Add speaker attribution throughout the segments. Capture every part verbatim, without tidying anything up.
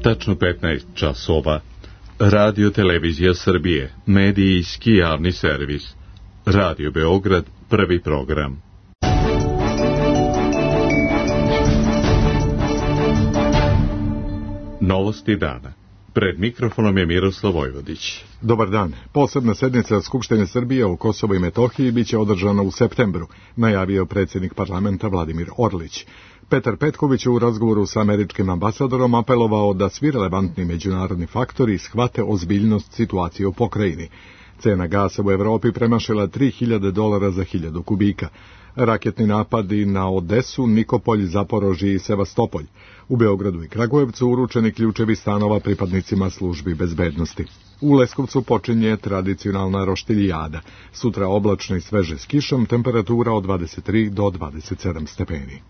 Speaker 1: Tačno petnaest časova. Radio Televizija Srbije, medijski javni servis. Radio Beograd, prvi program. Novosti dana. Pred mikrofonom je Miroslav Vojvodić.
Speaker 2: Dobar dan. Posebna sednica Skupštine Srbije o Kosovu i Metohiji biće održana u septembru, najavio predsjednik parlamenta Vladimir Orlić. Petar Petković je u razgovoru sa američkim ambasadorom apelovao da svi relevantni međunarodni faktori shvate ozbiljnost situacije u pokrajini. Cena gasa u Evropi premašila tri hiljade dolara za hiljadu kubika. Raketni napadi na Odesu, Nikopolj, Zaporožje i Sevastopolj. U Beogradu i Kragujevcu uručeni ključevi stanova pripadnicima službi bezbednosti. U Leskovcu počinje tradicionalna roštiljada. Sutra oblačno i sveže s kišom, temperatura od dvadeset tri do dvadeset sedam stepeni.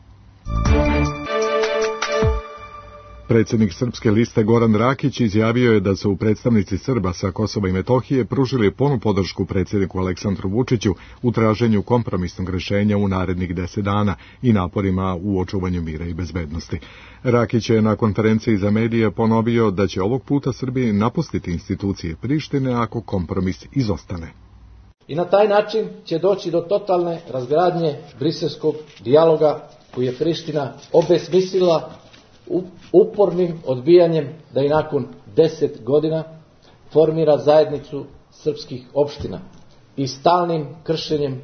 Speaker 2: Predsjednik Srpske liste Goran Rakić izjavio je da su predstavnici Srba sa Kosova i Metohije pružili punu podršku predsjedniku Aleksandru Vučiću u traženju kompromisnog rješenja u narednih deset dana i naporima u očuvanju mira i bezbednosti. Rakić je na konferenciji za medije ponovio da će ovog puta Srbiji napustiti institucije Prištine ako kompromis izostane.
Speaker 3: I na taj način će doći do totalne razgradnje briselskog dijaloga koji je Priština obesmislila upornim odbijanjem da i nakon deset godina formira zajednicu srpskih opština i stalnim kršenjem,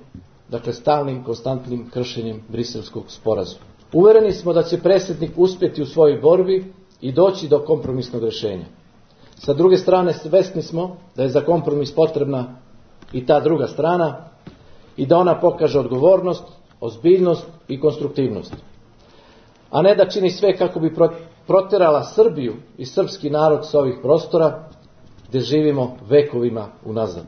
Speaker 3: dakle stalnim konstantnim kršenjem briselskog sporazuma. Uvereni smo da će predsjednik uspjeti u svojoj borbi i doći do kompromisnog rješenja. Sa druge strane, svesni smo da je za kompromis potrebna i ta druga strana i da ona pokaže odgovornost, ozbiljnost i konstruktivnost, a ne da čini sve kako bi protjerala Srbiju i srpski narod sa ovih prostora gdje živimo vekovima unazad.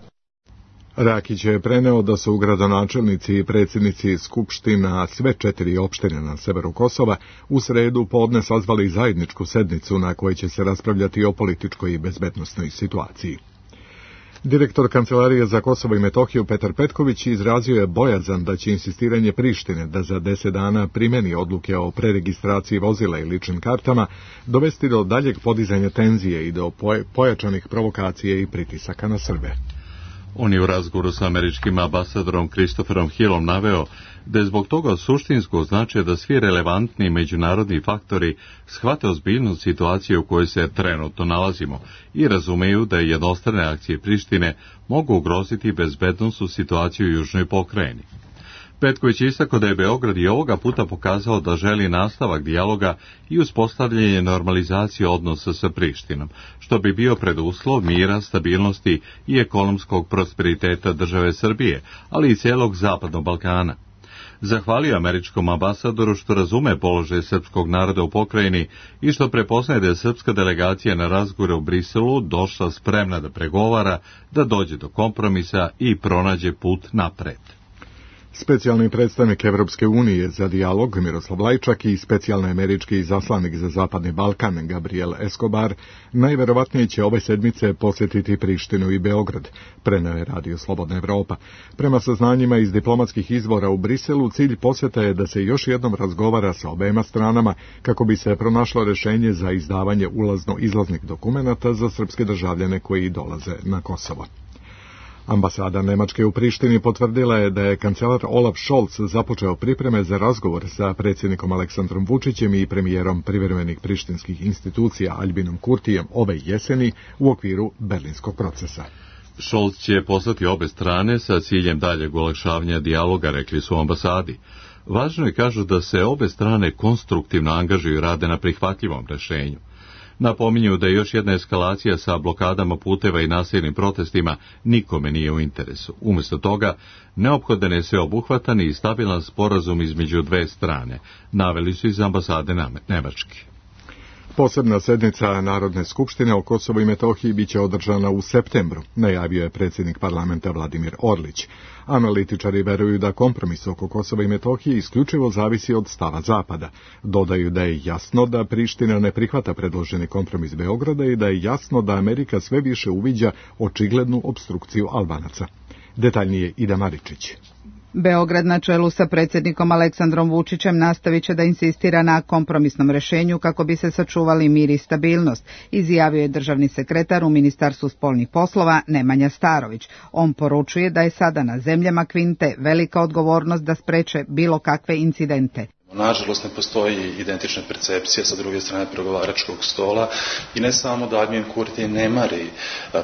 Speaker 2: Rakić je preneo da su gradonačelnici i predsjednici skupština sve četiri opštine na severu Kosova u sredu podne sazvali zajedničku sednicu na kojoj će se raspravljati o političkoj i bezbednosnoj situaciji. Direktor Kancelarije za Kosovo i Metohiju Petar Petković izrazio je bojazan da će insistiranje Prištine da za deset dana primeni odluke o preregistraciji vozila i ličnim kartama dovesti do daljeg podizanja tenzije i do pojačanih provokacije i pritisaka na Srbe.
Speaker 1: On je u razgovoru sa američkim ambasadorom Christopherom Hillom naveo da je zbog toga suštinsko značaja da svi relevantni međunarodni faktori shvate ozbiljnost situacije u kojoj se trenutno nalazimo i razumeju da jednostrane akcije Prištine mogu ugroziti bezbednosnu situaciju u južnoj pokrajini. Petković je istakao da je Beograd i ovoga puta pokazao da želi nastavak dijaloga i uspostavljanje normalizacije odnosa sa Prištinom, što bi bio preduslov mira, stabilnosti i ekonomskog prosperiteta države Srbije, ali i celog Zapadnog Balkana. Zahvalio američkom ambasadoru što razume položaj srpskog naroda u pokrajini i što prepoznaje da je srpska delegacija na razgovore u Briselu došla spremna da pregovara, da dođe do kompromisa i pronađe put napred.
Speaker 2: Specijalni predstavnik Evropske unije za dijalog Miroslav Lajčak i specijalni američki izaslanik za Zapadni Balkan Gabriel Escobar najverovatnije će ove sedmice posjetiti Prištinu i Beograd, preneo je Radio Slobodna Evropa. Prema saznanjima iz diplomatskih izvora u Briselu, cilj posjeta je da se još jednom razgovara sa obema stranama kako bi se pronašlo rješenje za izdavanje ulazno-izlaznih dokumenata za srpske državljane koji dolaze na Kosovo. Ambasada Nemačke u Prištini potvrdila je da je kancelar Olaf Scholz započeo pripreme za razgovor sa predsjednikom Aleksandrom Vučićem i premijerom privremenih prištinskih institucija Albinom Kurtijem ove jeseni u okviru berlinskog procesa.
Speaker 1: Scholz će poslati obe strane sa ciljem daljeg olakšavanja dijaloga, rekli su u ambasadi. Važno je, kažu, da se obe strane konstruktivno angažuju i rade na prihvatljivom rješenju. Napominju da još jedna eskalacija sa blokadama puteva i nasilnim protestima nikome nije u interesu. Umjesto toga, neophodan je sveobuhvatan i stabilan sporazum između dve strane, naveli su iz ambasade Nemačke.
Speaker 2: Posebna sednica Narodne skupštine o Kosovu i Metohiji biće održana u septembru, najavio je predsjednik parlamenta Vladimir Orlić. Analitičari veruju da kompromis oko Kosova i Metohije isključivo zavisi od stava Zapada. Dodaju da je jasno da Priština ne prihvata predloženi kompromis Beograda i da je jasno da Amerika sve više uviđa očiglednu opstrukciju Albanaca. Detaljnije Ida Maričić.
Speaker 4: Beograd na čelu sa predsjednikom Aleksandrom Vučićem nastavit će da insistira na kompromisnom rješenju kako bi se sačuvali mir i stabilnost, izjavio je državni sekretar u Ministarstvu spoljnih poslova Nemanja Starović. On poručuje da je sada na zemljama Kvinte velika odgovornost da spreče bilo kakve incidente.
Speaker 5: Nažalost, ne postoji identična percepcija sa druge strane pregovaračkog stola i ne samo da Admin Kurti ne mari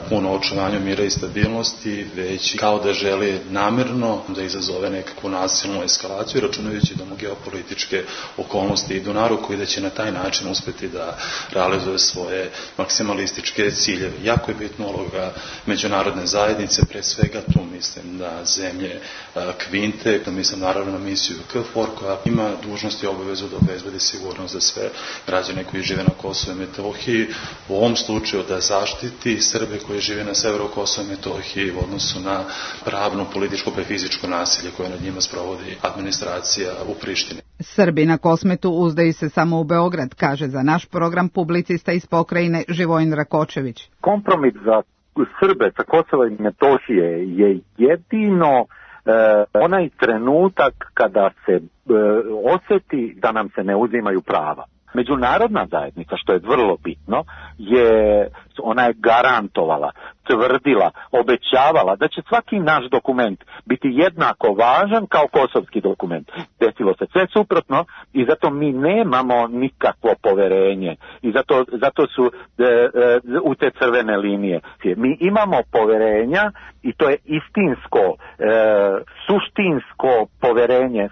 Speaker 5: puno očuvanju mira i stabilnosti, već kao da želi namerno da izazove nekakvu nasilnu eskalaciju, računajući da mu geopolitičke okolnosti idu na ruku i da će na taj način uspeti da realizuje svoje maksimalističke ciljeve. Jako je bitna uloga međunarodne zajednice, pre svega tu mislim da zemlje Kvinte, da mislim naravno na misiju KFOR koja ima dužnost i obavezu da obezbedi sigurnost za sve građane koji žive na Kosovu i Metohiji, u ovom slučaju da zaštiti Srbe koji žive na severu Kosova i Metohiji u odnosu na pravno, političko pa i fizičko nasilje koje nad njima sprovodi administracija u Prištini.
Speaker 4: Srbi na Kosmetu uzdaju se samo u Beograd, kaže za naš program publicista iz pokrajine Živojin Rakočević.
Speaker 6: Kompromis za Srbe sa Kosova i Metohije je jedino E, onaj trenutak kada se e, osjeti da nam se ne uzimaju prava. Međunarodna zajednica, što je vrlo bitno, je ona je garantovala, tvrdila, obećavala da će svaki naš dokument biti jednako važan kao kosovski dokument. Desilo se sve suprotno i zato mi nemamo nikakvo poverenje i zato, zato su e, e, u te crvene linije. Mi imamo poverenja i to je istinsko, e, suštinsko poverenje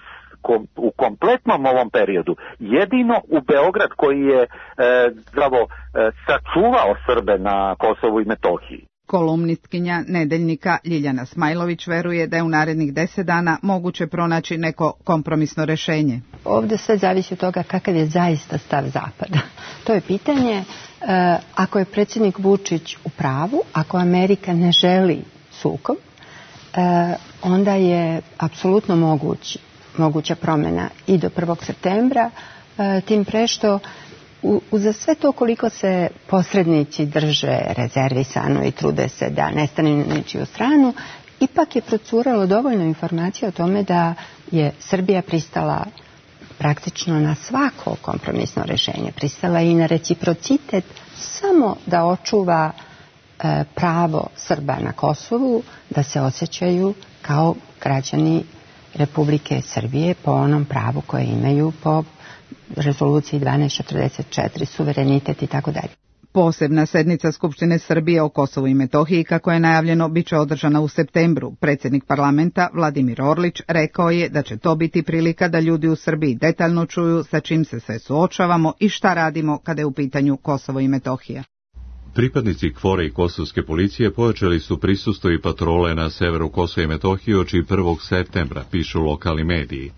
Speaker 6: u kompletnom ovom periodu. Jedino u Beograd koji je e, zdravo e, sačuvao Srbe na Kosovu i Metohiji.
Speaker 4: Kolumnistkinja Nedeljnika Ljiljana Smajlović veruje da je u narednih deset dana moguće pronaći neko kompromisno rješenje.
Speaker 7: Ovdje sve zavisi od toga kakav je zaista stav Zapada. To je pitanje, e, ako je predsjednik Vučić u pravu, ako Amerika ne želi sukob, e, onda je apsolutno moguć moguća promjena i do prvog septembra, e, tim pre što uza sve to koliko se posrednici drže rezervisano i trude se da ne stane na ničiju stranu, ipak je procuralo dovoljno informacija o tome da je Srbija pristala praktično na svako kompromisno rješenje. Pristala i na reciprocitet samo da očuva e, pravo Srba na Kosovu da se osjećaju kao građani Republike Srbije po onom pravu koje imaju po rezoluciji dvanaest četrdeset četiri, suverenitet i tako dalje.
Speaker 4: Posebna sednica Skupštine Srbije o Kosovu i Metohiji, kako je najavljeno, bit će održana u septembru. Predsjednik parlamenta Vladimir Orlić rekao je da će to biti prilika da ljudi u Srbiji detaljno čuju sa čim se sve suočavamo i šta radimo kada je u pitanju Kosovo i Metohija.
Speaker 1: Pripadnici KFOR-a i kosovske policije pojačali su prisustvo i patrole na severu Kosova i Metohije oči prvog septembra, pišu lokalni mediji.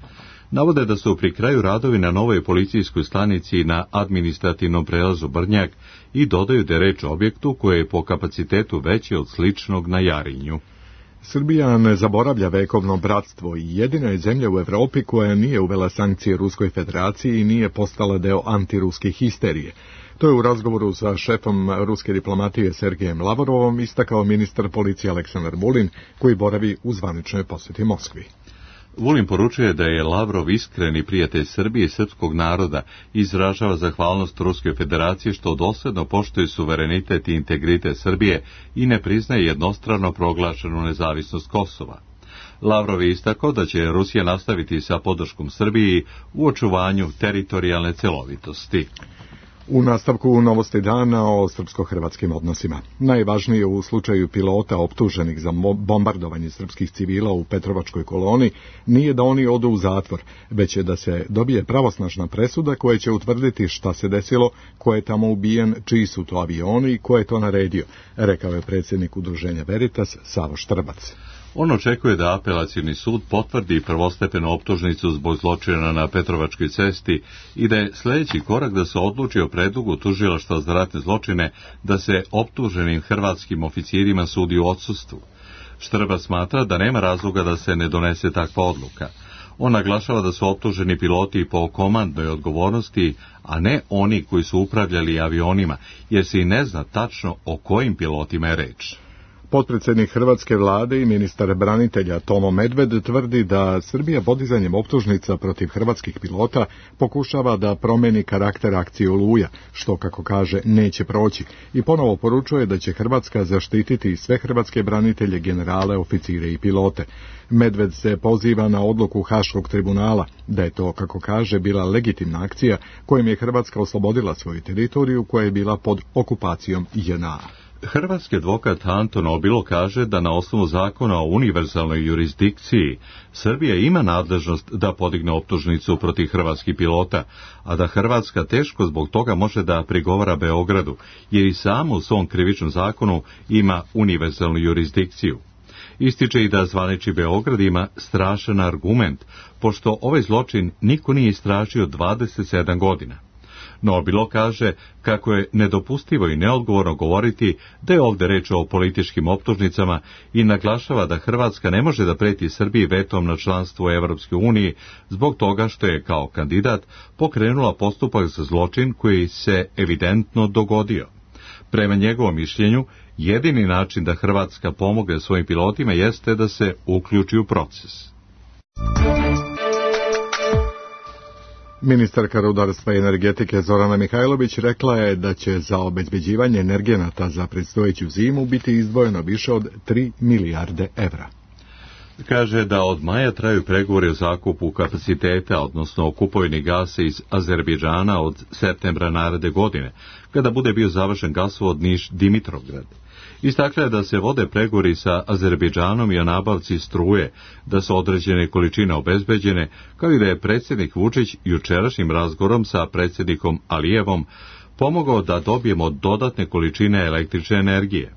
Speaker 1: Navode da su pri kraju radovi na novoj policijskoj stanici na administrativnom prelazu Brnjak i dodaju da je reč o objektu koje je po kapacitetu veći od sličnog na Jarinju.
Speaker 2: Srbija ne zaboravlja vekovno bratstvo i jedina je zemlja u Europi koja nije uvela sankcije Ruskoj federaciji i nije postala deo antiruske histerije. To je u razgovoru sa šefom ruske diplomatije Sergejem Lavrovom istakao ministar policije Aleksandar Vulin, koji boravi u zvaničnoj posjeti Moskvi.
Speaker 1: Vulin poručuje da je Lavrov iskreni prijatelj Srbije i srpskog naroda i izražava zahvalnost Ruskoj federaciji što dosljedno poštuje suverenitet i integritet Srbije i ne priznaje jednostrano proglašenu nezavisnost Kosova. Lavrov je istakao da će Rusija nastaviti sa podrškom Srbiji u očuvanju teritorijalne celovitosti.
Speaker 2: U nastavku novosti dana o srpsko-hrvatskim odnosima. Najvažnije u slučaju pilota optuženih za bombardovanje srpskih civila u Petrovačkoj koloni nije da oni odu u zatvor, već je da se dobije pravosnažna presuda koja će utvrditi šta se desilo, ko je tamo ubijen, čiji su to avioni i ko je to naredio, rekao je predsjednik udruženja Veritas Savo Štrbac.
Speaker 1: On očekuje da apelacioni sud potvrdi prvostepenu optužnicu zbog zločina na Petrovačkoj cesti i da je sljedeći korak da se odluči o predlogu tužilaštva za ratne zločine da se optuženim hrvatskim oficirima sudi u odsustvu. Štrbac smatra da nema razloga da se ne donese takva odluka. On naglašava da su optuženi piloti po komandnoj odgovornosti, a ne oni koji su upravljali avionima, jer se i ne zna tačno o kojim pilotima je reč.
Speaker 2: Potpredsjednik hrvatske vlade i ministar branitelja Tomo Medved tvrdi da Srbija podizanjem optužnica protiv hrvatskih pilota pokušava da promeni karakter akcije Oluja, što, kako kaže, neće proći, i ponovo poručuje da će Hrvatska zaštititi sve hrvatske branitelje, generale, oficire i pilote. Medved se poziva na odluku Haškog tribunala, da je to, kako kaže, bila legitimna akcija kojom je Hrvatska oslobodila svoju teritoriju koja je bila pod okupacijom J N A.
Speaker 1: Hrvatski advokat Anton Obilo kaže da na osnovu zakona o univerzalnoj jurisdikciji Srbija ima nadležnost da podigne optužnicu protiv hrvatskih pilota, a da Hrvatska teško zbog toga može da prigovara Beogradu, jer i samo u svom krivičnom zakonu ima univerzalnu jurisdikciju. Ističe i da zvanični Beograd ima strašan argument, pošto ovaj zločin niko nije istražio dvadeset sedam godina. No Obilo kaže kako je nedopustivo i neodgovorno govoriti da je ovdje reč o političkim optužnicama i naglašava da Hrvatska ne može da preti Srbiji vetom na članstvo u Evropskoj uniji zbog toga što je kao kandidat pokrenula postupak za zločin koji se evidentno dogodio. Prema njegovom mišljenju, jedini način da Hrvatska pomogne svojim pilotima jeste da se uključi u proces.
Speaker 2: Ministarka rudarstva i energetike Zorana Mihajlović rekla je da će za obezbeđivanje energenata za predstojeću zimu biti izdvojeno više od tri milijarde evra.
Speaker 1: Kaže da od maja traju pregovori o zakupu kapaciteta, odnosno o kupovini gasa iz Azerbejdžana od septembra naredne godine, kada bude bio završen gasovod Niš-Dimitrovgrad. Istakla je da se vode pregovori sa Azerbejdžanom i o nabavci struje, da su određene količine obezbeđene, kao i da je predsjednik Vučić jučerašnjim razgovorom sa predsjednikom Alijevom pomogao da dobijemo dodatne količine električne energije.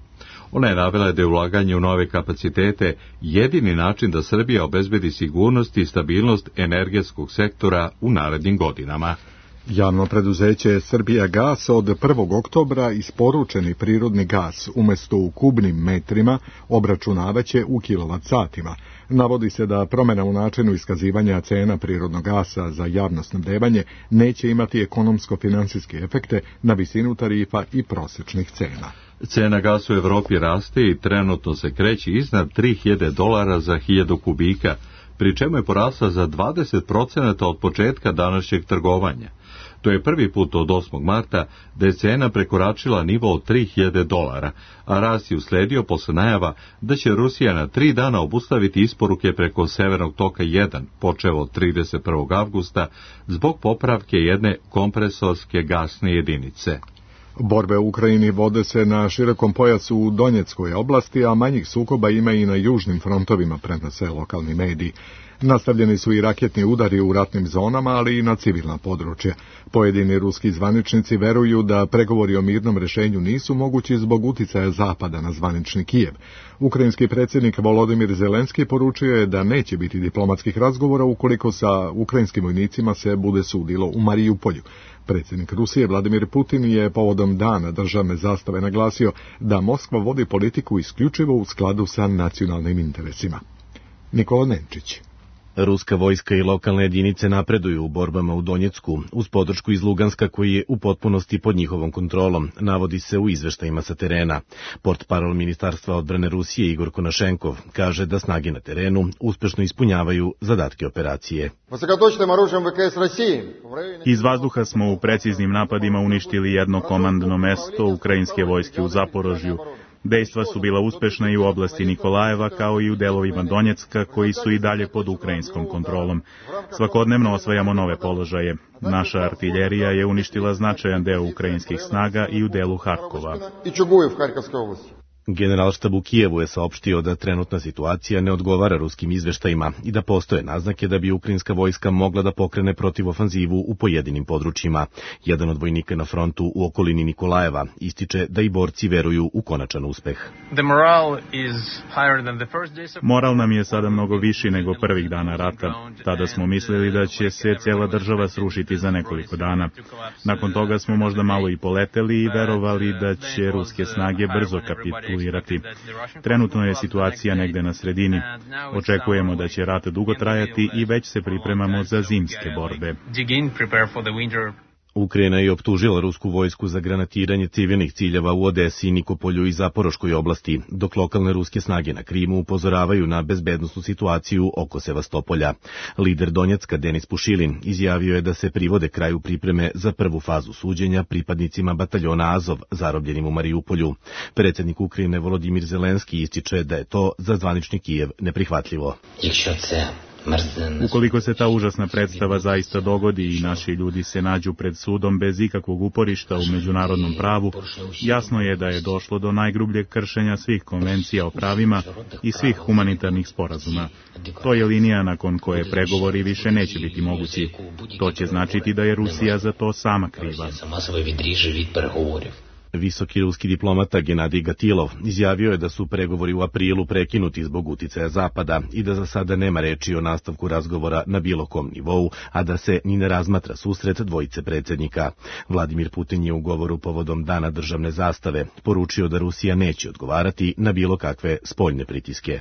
Speaker 1: Ona je navela da je ulaganje u nove kapacitete jedini način da Srbija obezbedi sigurnost i stabilnost energetskog sektora u narednim godinama.
Speaker 2: Javno preduzeće Srbija gas od prvog oktobra isporučeni prirodni gas umjesto u kubnim metrima obračunavaće u kilovat satima. Navodi se da promjena u načinu iskazivanja cena prirodnog gasa za javno snabdevanje neće imati ekonomsko-financijske efekte na visinu tarifa i prosječnih cena.
Speaker 1: Cena gasa u Evropi raste i trenutno se kreće iznad tri hiljade dolara za hiljadu kubika, pri čemu je porasla za dvadeset procenata od početka današnjeg trgovanja. To je prvi put od osmog marta da je cena prekoračila nivo od tri hiljade dolara, a rast je usledio posle najava da će Rusija na tri dana obustaviti isporuke preko Severnog toka jedan, počev od trideset prvog avgusta, zbog popravke jedne kompresorske gasne jedinice.
Speaker 2: Borbe u Ukrajini vode se na širokom pojasu u Donjeckoj oblasti, a manjih sukoba ima i na južnim frontovima, prenose lokalni mediji. Nastavljeni su i raketni udari u ratnim zonama, ali i na civilna područja. Pojedini ruski zvaničnici veruju da pregovori o mirnom rješenju nisu mogući zbog uticaja Zapada na zvanični Kijev. Ukrajinski predsjednik Volodimir Zelenski poručio je da neće biti diplomatskih razgovora ukoliko sa ukrajinskim vojnicima se bude sudilo u Marijupolju. Predsjednik Rusije Vladimir Putin je povodom dana državne zastave naglasio da Moskva vodi politiku isključivo u skladu sa nacionalnim interesima. Nikola Nenčić.
Speaker 8: Ruska vojska i lokalne jedinice napreduju u borbama u Donjecku, uz podršku iz Luganska koji je u potpunosti pod njihovom kontrolom, navodi se u izveštajima sa terena. Portparol Ministarstva odbrane Rusije Igor Konašenkov kaže da snage na terenu uspešno ispunjavaju zadatke operacije.
Speaker 9: Iz vazduha smo u preciznim napadima uništili jedno komandno mesto ukrajinske vojske u Zaporožju. Dejstva su bila uspešna i u oblasti Nikolajeva, kao i u delovima Donjecka, koji su i dalje pod ukrajinskom kontrolom. Svakodnevno osvajamo nove položaje. Naša artiljerija je uništila značajan deo ukrajinskih snaga i u delu Harkova.
Speaker 8: Generalštab u Kijevu je saopštio da trenutna situacija ne odgovara ruskim izveštajima i da postoje naznake da bi ukrajinska vojska mogla da pokrene protivofanzivu u pojedinim područjima. Jedan od vojnika na frontu u okolini Nikolajeva ističe da i borci veruju u konačan uspeh.
Speaker 9: Moral nam je sada mnogo viši nego prvih dana rata. Tada smo mislili da će se cijela država srušiti za nekoliko dana. Nakon toga smo možda malo i poleteli i verovali da će ruske snage brzo kapitulirati. Trenutno je situacija negde na sredini. Očekujemo da će rat dugo trajati i već se pripremamo za zimske borbe.
Speaker 8: Ukrajina je optužila rusku vojsku za granatiranje civilnih ciljeva u Odesi, Nikopolju i Zaporoškoj oblasti, dok lokalne ruske snage na Krimu upozoravaju na bezbednosnu situaciju oko Sevastopolja. Lider Donjecka Denis Pušilin izjavio je da se privode kraju pripreme za prvu fazu suđenja pripadnicima bataljona Azov zarobljenim u Mariupolju. Predsjednik Ukrajine Volodimir Zelenski ističe da je to za zvanični Kijev neprihvatljivo.
Speaker 9: Ukoliko se ta užasna predstava zaista dogodi i naši ljudi se nađu pred sudom bez ikakvog uporišta u međunarodnom pravu, jasno je da je došlo do najgrubljeg kršenja svih konvencija o pravima i svih humanitarnih sporazuma. To je linija nakon koje pregovori više neće biti mogući. To će značiti da je Rusija za to sama kriva.
Speaker 8: Visoki ruski diplomata Genadij Gatilov izjavio je da su pregovori u aprilu prekinuti zbog uticaja Zapada i da za sada nema reči o nastavku razgovora na bilo kom nivou, a da se ni ne razmatra susret dvojice predsjednika. Vladimir Putin je u govoru povodom Dana državne zastave poručio da Rusija neće odgovarati na bilo kakve spoljne pritiske.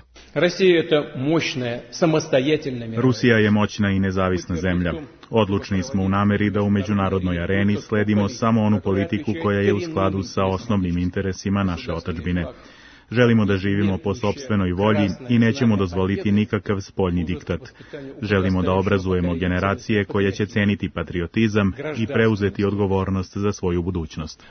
Speaker 9: Rusija je moćna i nezavisna zemlja. Odlučni smo u nameri da u međunarodnoj areni sledimo samo onu politiku koja je u skladu sa osnovnim interesima naše otadžbine. Želimo da živimo po sopstvenoj volji i nećemo dozvoliti nikakav spoljni diktat. Želimo da obrazujemo generacije koje će ceniti patriotizam i preuzeti odgovornost za svoju budućnost.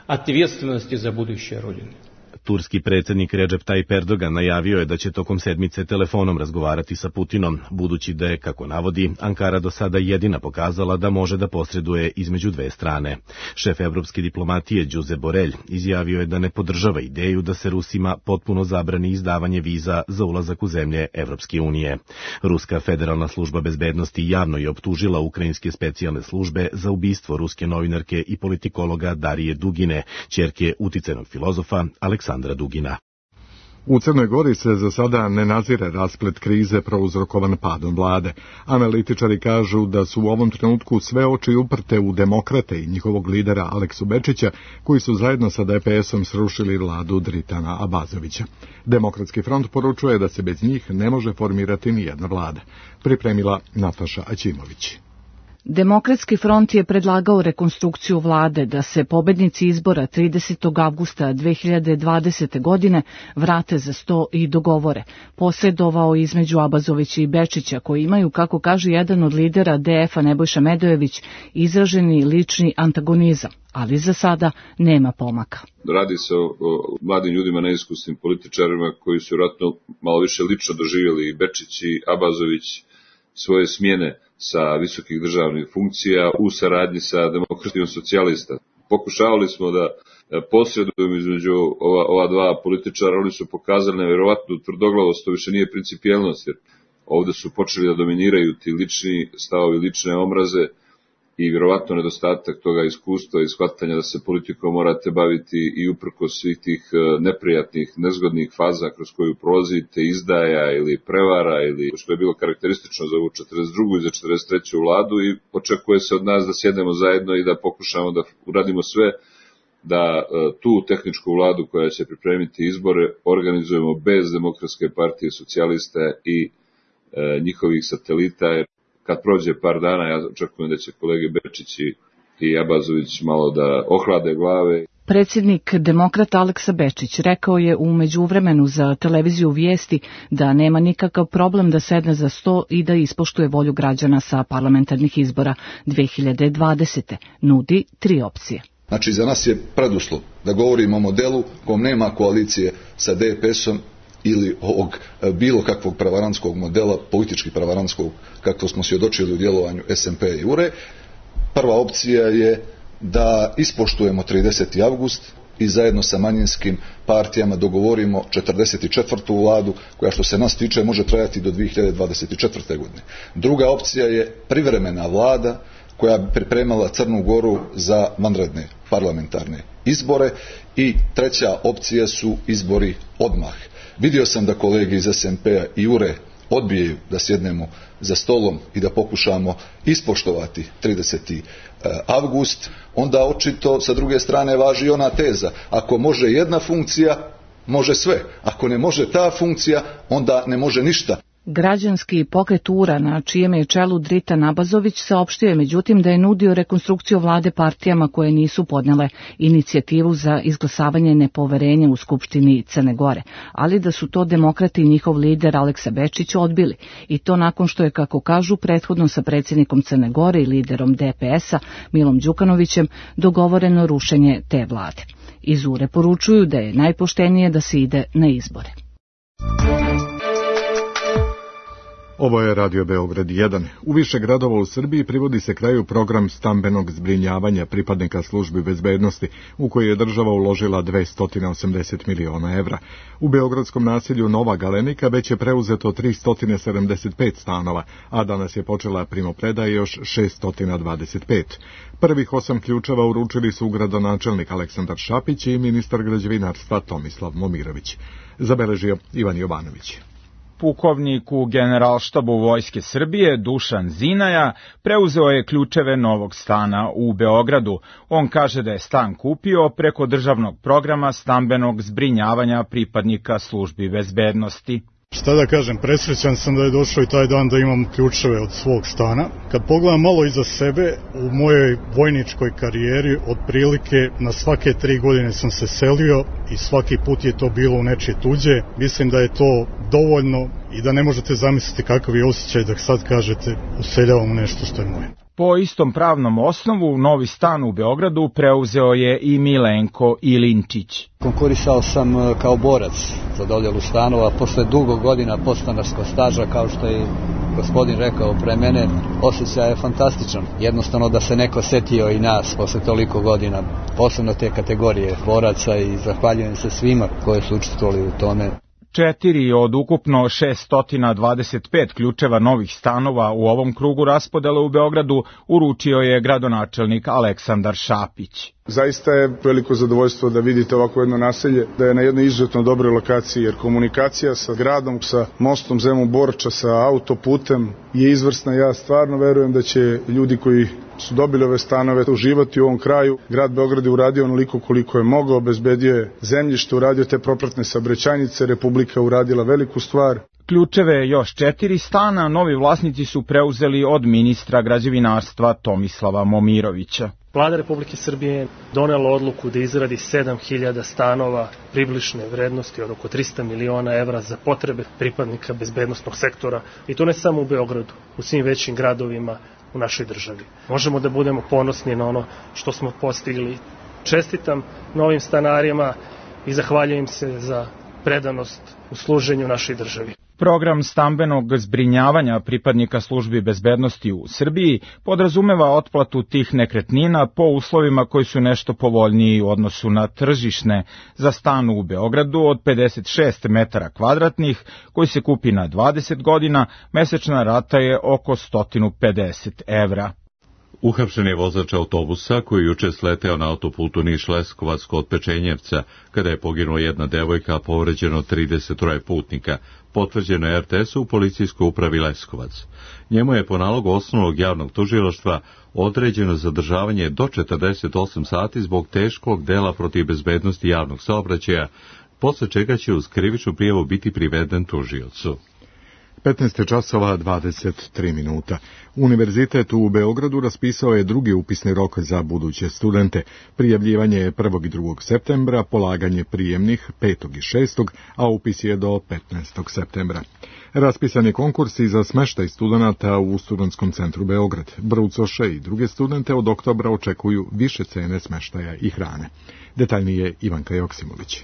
Speaker 8: Turski predsjednik Recep Tayyip Erdogan najavio je da će tokom sedmice telefonom razgovarati sa Putinom, budući da je, kako navodi, Ankara do sada jedina pokazala da može da posreduje između dve strane. Šef evropske diplomatije Josep Borrell izjavio je da ne podržava ideju da se Rusima potpuno zabrani izdavanje viza za ulazak u zemlje Evropske unije. Ruska federalna služba bezbednosti javno je optužila ukrajinske specijalne službe za ubistvo ruske novinarke i politikologa Darije Dugine, ćerke uticajnog filozofa Aleksandra Dugina.
Speaker 2: U Crnoj Gori se za sada ne nazire rasplet krize prouzrokovan padom vlade. Analitičari kažu da su u ovom trenutku sve oči uprte u demokrate i njihovog lidera Aleksu Bečića, koji su zajedno sa D P S-om srušili vladu Dritana Abazovića. Demokratski front poručuje da se bez njih ne može formirati nijedna vlada. Pripremila Nataša Aćimović.
Speaker 10: Demokratski front je predlagao rekonstrukciju vlade da se pobednici izbora tridesetog avgusta dve hiljade dvadesete. godine vrate za sto i dogovore. Posredovao između Abazovića i Bečića, koji imaju, kako kaže jedan od lidera D F-a Nebojša Medojević, izraženi lični antagonizam, ali za sada nema pomaka.
Speaker 11: Radi se o, o mladim ljudima, neiskusnim političarima koji su vjerojatno malo više lično doživjeli i Bečić i Abazović svoje smjene sa visokih državnih funkcija u saradnji sa demokratijom socijalista. Pokušavali smo da posredujemo između ova, ova dva političara, oni su pokazali nevjerovatnu tvrdoglavost, to više nije principijelnost, jer ovdje su počeli da dominiraju ti lični stavovi, lične omraze i vjerovatno nedostatak toga iskustva i shvatanja da se politikom morate baviti i uprkos svih tih neprijatnih, nezgodnih faza kroz koju prolazite, izdaja ili prevara, ili što je bilo karakteristično za ovu četrdeset drugu i za četrdeset treću vladu, i očekuje se od nas da sjednemo zajedno i da pokušamo da uradimo sve da tu tehničku vladu koja će pripremiti izbore organizujemo bez Demokratske partije socijalista i e, njihovih satelita. Kad prođe par dana, ja očekujem da će kolege Bečić i Abazović malo da ohlade glave.
Speaker 10: Predsjednik demokrata Aleksa Bečić rekao je u međuvremenu za televiziju Vijesti da nema nikakav problem da sedne za sto i da ispoštuje volju građana sa parlamentarnih izbora dve hiljade dvadesete. Nudi tri opcije.
Speaker 12: Znači, za nas je preduslov da govorimo o modelu kom nema koalicije sa D P S-om ili ovog bilo kakvog prevarantskog modela, politički prevarantskog, kako smo svjedočili u djelovanju S N P i U R E. Prva opcija je da ispoštujemo trideseti avgust i zajedno sa manjinskim partijama dogovorimo četrdeset četvrtu vladu, koja što se nas tiče može trajati do dve hiljade dvadeset četvrte. godine. Druga opcija je privremena vlada koja bi pripremala Crnu Goru za vanredne parlamentarne izbore, i treća opcija su izbori odmah. Vidio sam da kolege iz S N P-a i U R E odbijaju da sjednemo za stolom i da pokušamo ispoštovati trideseti avgust, onda očito sa druge strane važi ona teza: ako može jedna funkcija, može sve. Ako ne može ta funkcija, onda ne može ništa.
Speaker 10: Građanski pokret U-ra, na čijem je čelu Dritan Abazović, saopštio je međutim da je nudio rekonstrukciju vlade partijama koje nisu podnele inicijativu za izglasavanje nepoverenja u Skupštini Crne Gore, ali da su to demokrati i njihov lider Aleksa Bečić odbili, i to nakon što je, kako kažu, prethodno sa predsjednikom Crne Gore i liderom D P S-a Milom Đukanovićem dogovoreno rušenje te vlade. Iz U-re poručuju da je najpoštenije da se ide na izbore.
Speaker 2: Ovo je Radio Beograd jedan. U više gradova u Srbiji privodi se kraju program stambenog zbrinjavanja pripadnika službi bezbednosti, u koji je država uložila dvesta osamdeset miliona evra. U beogradskom naselju Nova Galenika već je preuzeto tristo sedamdeset pet stanova, a danas je počela primopredaja još šeststo dvadeset pet. Prvih osam ključeva uručili su gradonačelnik Aleksandar Šapić i ministar građevinarstva Tomislav Momirović. Zabeležio Ivan Jovanović.
Speaker 13: Pukovnik u Generalštabu Vojske Srbije Dušan Zinaja preuzeo je ključeve novog stana u Beogradu. On kaže da je stan kupio preko državnog programa stambenog zbrinjavanja pripadnika službi bezbednosti.
Speaker 14: Šta da kažem, presrećan sam da je došao i taj dan da imam ključeve od svog stana. Kad pogledam malo iza sebe, u mojoj vojničkoj karijeri otprilike na svake tri godine sam se selio i svaki put je to bilo u nečije tuđe. Mislim da je to dovoljno i da ne možete zamisliti kakav je osjećaj da sad kažete useljavam u nešto što je moje.
Speaker 13: Po istom pravnom osnovu, novi stan u Beogradu preuzeo je i Milenko Ilinčić.
Speaker 15: Konkurisao sam kao borac za dodjelu stanova posle dugo godina podstanarskog staža, kao što je gospodin rekao pre mene, osjećaj je fantastičan. Jednostavno da se neko setio i nas posle toliko godina, posebno te kategorije boraca, i zahvaljujem se svima koji su učestvovali u tome.
Speaker 13: Četiri od ukupno šeststo dvadeset pet ključeva novih stanova u ovom krugu raspodele u Beogradu uručio je gradonačelnik Aleksandar Šapić.
Speaker 16: Zaista je veliko zadovoljstvo da vidite ovako jedno naselje, da je na jednoj izuzetno dobroj lokaciji, jer komunikacija sa gradom, sa mostom Zemun-Borča, sa autoputem je izvrsna. Ja stvarno verujem da će ljudi koji su dobili ove stanove uživati u ovom kraju. Grad Beograd je uradio onoliko koliko je mogao, obezbedio je zemljište, uradio te propratne saobraćajnice, Republika uradila veliku stvar.
Speaker 13: Ključeve još četiri stana novi vlasnici su preuzeli od ministra građevinarstva Tomislava Momirovića.
Speaker 17: Vlada Republike Srbije je donela odluku da izradi sedam hiljada stanova približne vrednosti od oko trista miliona evra za potrebe pripadnika bezbednosnog sektora, i to ne samo u Beogradu, u svim većim gradovima u našoj državi. Možemo da budemo ponosni na ono što smo postigli. Čestitam novim stanarima i zahvaljujem se za predanost u služenju našoj državi.
Speaker 13: Program stambenog zbrinjavanja pripadnika službi bezbednosti u Srbiji podrazumeva otplatu tih nekretnina po uslovima koji su nešto povoljniji u odnosu na tržišne. Za stan u Beogradu od pedeset šest metara kvadratnih, koji se kupi na dvadeset godina, mesečna rata je oko sto pedeset evra.
Speaker 1: Uhapšen je vozač autobusa koji juče sleteo na autoputu Niš-Leskovac kod Pečenjevca, kada je poginula jedna devojka, a povređeno trideset troje putnika. Potvrđeno je R T S u policijskoj upravi Leskovac. Njemu je po nalogu osnovnog javnog tužilaštva određeno zadržavanje do četrdeset osam sati zbog teškog dela protiv bezbednosti javnog saobraćaja, posle čega će uz krivičnu prijavu biti priveden tužiocu.
Speaker 2: petnaest časova dvadeset tri minuta. Univerzitet u Beogradu raspisao je drugi upisni rok za buduće studente. Prijavljivanje je prvog i drugog septembra, polaganje prijemnih petog i šestog, a upis je do petnaestog septembra. Raspisan je konkurs i za smeštaj studenata u Studentskom centru Beograd. Brucoše i druge studente od oktobra očekuju više cene smeštaja i hrane. Detaljnije Ivanka Joksimović.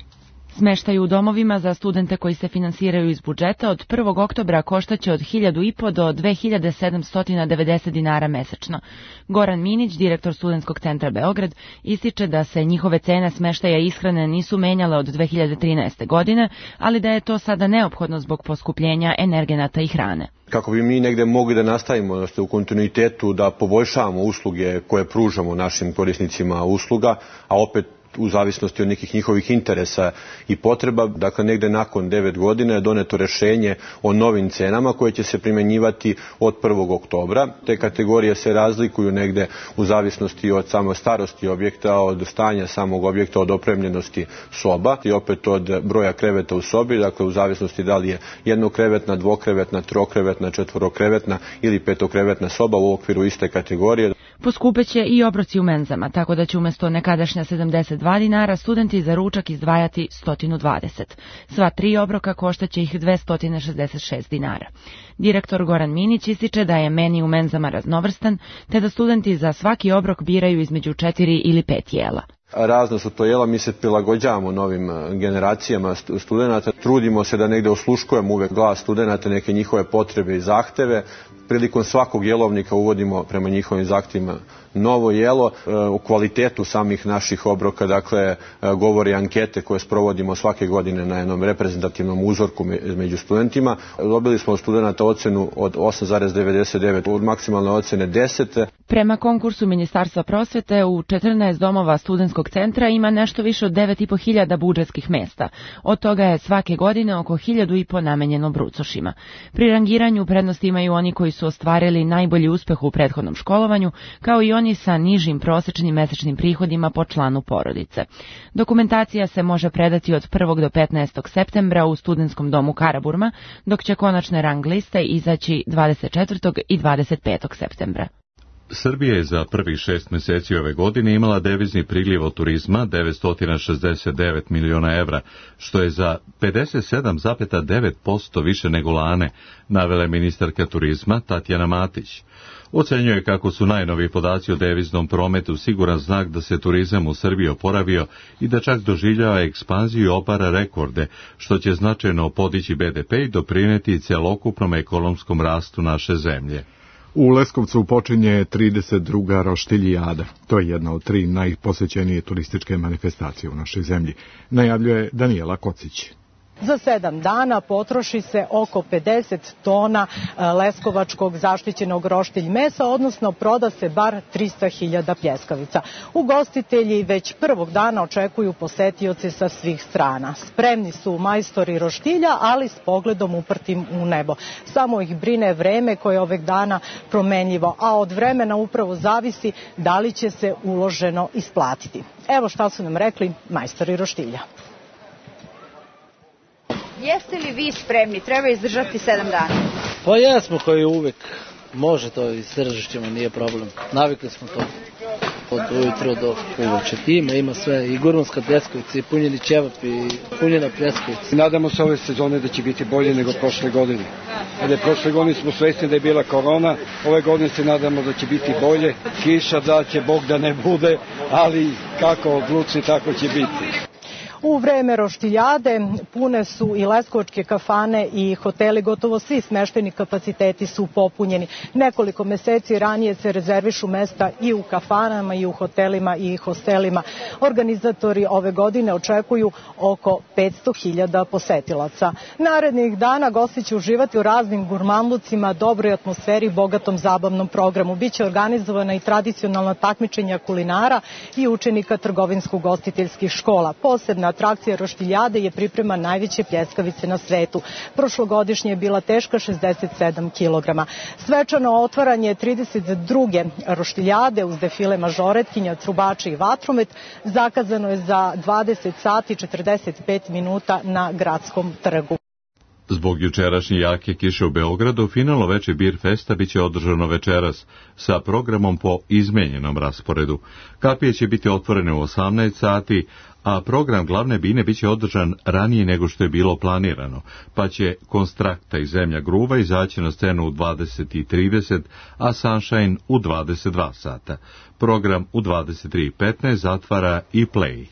Speaker 18: Smeštaj u domovima za studente koji se finansiraju iz budžeta od prvog oktobra koštaće od hiljadu i po do dve hiljade sedamsto devedeset dinara mesečno. Goran Minić, direktor Studentskog centra Beograd, ističe da se njihove cene smeštaja i ishrane nisu menjale od dve hiljade trinaeste. godine, ali da je to sada neophodno zbog poskupljenja energenata i hrane.
Speaker 19: Kako bi mi negde mogli da nastavimo u kontinuitetu da poboljšavamo usluge koje pružamo našim korisnicima usluga, a opet u zavisnosti od nekih njihovih interesa i potreba. Dakle, negde nakon devet godina je doneto rešenje o novim cenama koje će se primjenjivati od prvog oktobra. Te kategorije se razlikuju negde u zavisnosti od samo starosti objekta, od stanja samog objekta, od opremljenosti soba i opet od broja kreveta u sobi, dakle u zavisnosti da li je jednokrevetna, dvokrevetna, trokrevetna, četvorokrevetna ili petokrevetna soba u okviru iste kategorije.
Speaker 18: Poskupeće i obroci u menzama, tako da će umjesto nekadašnja sedamdeset dva dinara studenti za ručak izdvajati sto dvadeset. Sva tri obroka koštaće ih dvesta šezdeset šest dinara. Direktor Goran Minić ističe da je meni u menzama raznovrstan, te da studenti za svaki obrok biraju između četiri ili pet jela.
Speaker 19: Razno su to jela, mi se prilagođavamo novim generacijama studenata, trudimo se da negde osluškujemo uvek glas studenata, neke njihove potrebe i zahteve. Prilikom svakog jelovnika uvodimo prema njihovim zahtjevima novo jelo. O kvalitetu samih naših obroka, dakle, govori ankete koje sprovodimo svake godine na jednom reprezentativnom uzorku među studentima. Dobili smo od studenata ocenu od osam zarez devedeset devet, od maksimalne ocene deset.
Speaker 18: Prema konkursu Ministarstva prosvete u četrnaest domova studentskog centra ima nešto više od devet i po hiljada budžetskih mesta. Od toga je svake godine oko hiljadu i po namenjeno brucošima. Pri rangiranju prednost imaju oni koji su ostvarili najbolji uspeh u prethodnom školovanju, kao i oni sa nižim prosečnim mesečnim prihodima po članu porodice. Dokumentacija se može predati od prvog do petnaestog septembra u Studentskom domu Karaburma, dok će konačne rang liste izaći dvadeset četvrtog i dvadeset petog septembra.
Speaker 1: Srbija je za prvih šest meseci ove godine imala devizni priliv od turizma devetsto šezdeset devet miliona evra, što je za pedeset sedam zarez devet posto više nego lane, navela ministarka turizma Tatjana Matić. Ocenjuje kako su najnoviji podaci o deviznom prometu siguran znak da se turizam u Srbiji oporavio i da čak doživljava ekspanziju i obara rekorde, što će značajno podići be de pe i doprineti celokupnom ekonomskom rastu naše zemlje.
Speaker 2: U Leskovcu počinje trideset druga Roštiljijada. To je jedna od tri najposećenije turističke manifestacije u našoj zemlji, najavljuje Danijela Kocić.
Speaker 20: Za sedam dana potroši se oko pedeset tona leskovačkog zaštićenog roštilj mesa, odnosno proda se bar trista hiljada pljeskavica. Ugostitelji već prvog dana očekuju posetioce sa svih strana. Spremni su majstori roštilja, ali s pogledom uprtim u nebo. Samo ih brine vreme koje je ovih dana promenljivo, a od vremena upravo zavisi da li će se uloženo isplatiti. Evo šta su nam rekli majstori roštilja.
Speaker 21: Jeste li vi spremni? Treba izdržati sedam dana.
Speaker 22: Pa jesmo kao i uvek. Može to, izdržat ćemo, nije problem. Navikli smo to. Od ujutro do uveče. Ima, ima sve. I gurmanska pljeskavica, i punjeni ćevap, i punjena pljeskavica.
Speaker 23: Nadamo se ove sezone da će biti bolje nego prošle godine. Jer prošle godine smo svesni da je bila korona, ove godine se nadamo da će biti bolje. Kiša da će, Bog da ne bude, ali kako odluči, tako će biti.
Speaker 20: U vreme Roštiljade pune su i leskovačke kafane i hoteli, gotovo svi smeštajni kapaciteti su popunjeni. Nekoliko meseci ranije se rezervišu mesta i u kafanama, i u hotelima, i hostelima. Organizatori ove godine očekuju oko petsto hiljada posetilaca. Narednih dana gosti će uživati u raznim gurmanlucima, dobroj atmosferi i bogatom zabavnom programu. Biće organizovana i tradicionalna takmičenja kulinara i učenika trgovinsko-ugostiteljskih škola. Posebna atrakcija Roštiljade je priprema najveće pljeskavice na svetu. Prošlogodišnje je bila teška šezdeset sedam kilograma. Svečano otvaranje trideset druge Roštiljade uz defile mažoretkinja, trubači i vatromet zakazano je za dvadeset sati i četrdeset pet minuta na Gradskom trgu.
Speaker 1: Zbog jučerašnje jake kiše u Beogradu, finalno veče Bir Festa biće održano večeras sa programom po izmenjenom rasporedu. Kapije će biti otvorene u osamnaest sati, a program glavne bine biće održan ranije nego što je bilo planirano, pa će Konstrakta i Zemlja gruva izaći na scenu u dvadeset i trideset, a Sunshine u dvadeset dva sata. Program u dvadeset tri i petnaest zatvara i Play.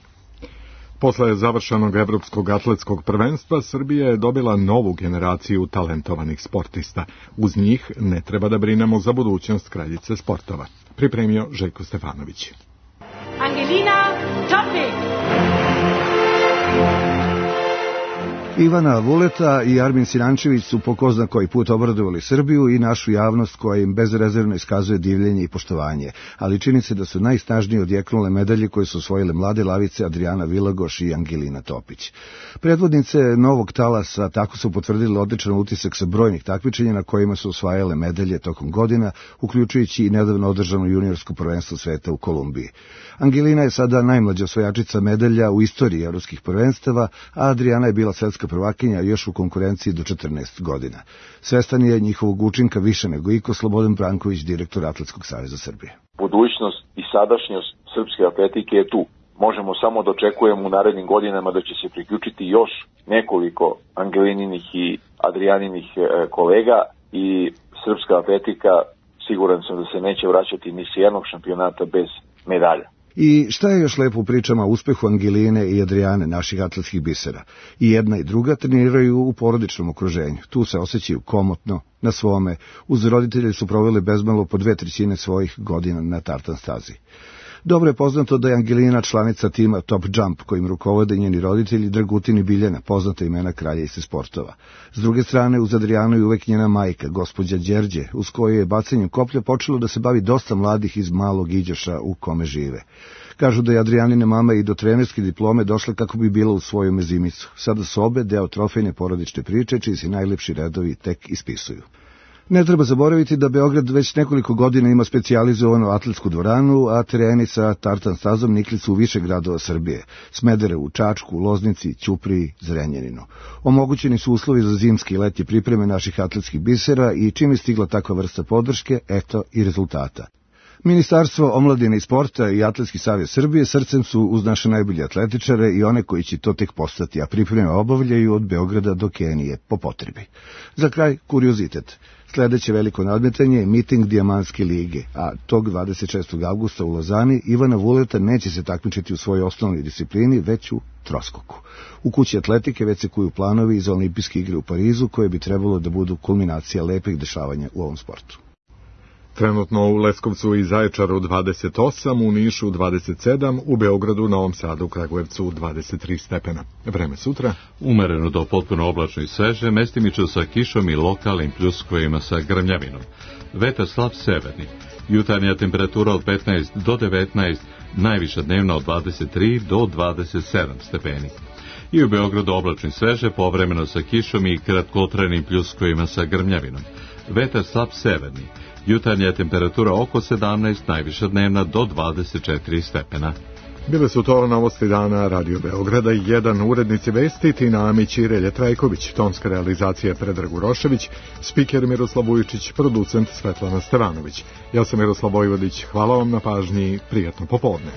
Speaker 2: Posle završenog evropskog atletskog prvenstva, Srbija je dobila novu generaciju talentovanih sportista. Uz njih ne treba da brinemo za budućnost kraljice sportova. Pripremio Željko Stefanović.
Speaker 24: Angelina Topic.
Speaker 3: Ivana Vuleta i Armin Sinančević su po ko zna koji put obradovali Srbiju i našu javnost koja im bezrezervno iskazuje divljenje i poštovanje, ali čini se da su najsnažnije odjeknule medalje koje su osvojile mlade lavice Adriana Vilagoš i Angelina Topić. Predvodnice novog talasa tako su potvrdile odličan utisak sa brojnih takmičenja na kojima su osvajale medalje tokom godina, uključujući i nedavno održano juniorsko prvenstvo sveta u Kolumbiji. Angelina je sada najmlađa osvajačica medalja u istoriji evropskih prvenstava, a Adriana je bila svetska prvakinja još u konkurenciji do četrnaest godina. Svestan je njihovog učinka više nego iko Slobodan Branković, direktor Atletskog saveza Srbije.
Speaker 5: Budućnost i sadašnjost srpske atletike je tu. Možemo samo da očekujemo u narednim godinama da će se priključiti još nekoliko Angelininih i Adrianinih kolega i srpska atletika, siguran sam da se neće vraćati ni s jednog šampionata bez medalja.
Speaker 3: I šta je još lepo u pričama o uspehu Angeline i Adriane, naših atletskih bisera? I jedna i druga treniraju u porodičnom okruženju. Tu se osjećaju komotno, na svome. Uz roditelje su proveli bezmalo po dve trećine svojih godina na tartan stazi. Dobro je poznato da je Angelina članica tima Top Jump, kojim rukovode njeni roditelji Dragutin i Biljana, poznata imena kraljice sportova. S druge strane, uz Adrijanu je uvek njena majka, gospođa Đerđe, uz koju je bacanjem koplja počelo da se bavi dosta mladih iz malog Iđoša u kome žive. Kažu da je Adrijanine mama i do trenerske diplome došla kako bi bila u svoju mezimicu. Sada su obe deo trofejne porodične priče, čiji se najlepši redovi tek ispisuju. Ne treba zaboraviti da Beograd već nekoliko godina ima specijalizovanu atletsku dvoranu, a tereni sa tartan stazom nikli su u više gradova Srbije, Smederevu, Čačku, Loznici, Ćupriji, Zrenjaninu. Omogućeni su uslovi za zimske i letnje pripreme naših atletskih bisera i čim je stigla takva vrsta podrške, eto i rezultata. Ministarstvo omladine i sporta i Atletski savez Srbije srcem su uz naše najbolje atletičare i one koji će to tek postati, a pripreme obavljaju od Beograda do Kenije po potrebi. Za kraj, kuriozitet. Sljedeće veliko nadmetanje je miting Dijamantske lige, a tog dvadeset šestog avgusta u Lozani Ivana Vuleta neće se takmičiti u svojoj osnovnoj disciplini, već u troskoku. U kući atletike već se kuju planovi za olimpijske igre u Parizu, koje bi trebalo da budu kulminacija lepih dešavanja u ovom sportu.
Speaker 2: Trenutno u Leskovcu i Zaječaru dvadeset osam, u Nišu dvadeset sedam, u Beogradu, Novom Sadu, Kragujevcu dvadeset tri stepena. Vreme sutra?
Speaker 1: Umereno do potpuno oblačno i sveže, mestimično sa kišom i lokalnim pljuskovima sa grmljavinom. Vetar slab severni. Jutarnja temperatura od petnaest do devetnaest, najviša dnevna od dvadeset tri do dvadeset sedam stepeni. I u Beogradu oblačno i sveže, povremeno sa kišom i kratkotrajnim pljuskovima sa grmljavinom. Vetar slab severni. Jutarnja temperatura oko sedamnaest, najviša dnevna do dvadeset četiri stepena.
Speaker 2: Bile su to novosti dana Radio Beograda, jedan urednici vesti Tina Amić i Relje Trajković, tonska realizacija Predrag Urošević, spiker Miroslav Vujčić, producent Svetlana Stevanović. Ja sam Miroslav Vojvodić, hvala vam na pažnji, prijatno popodne.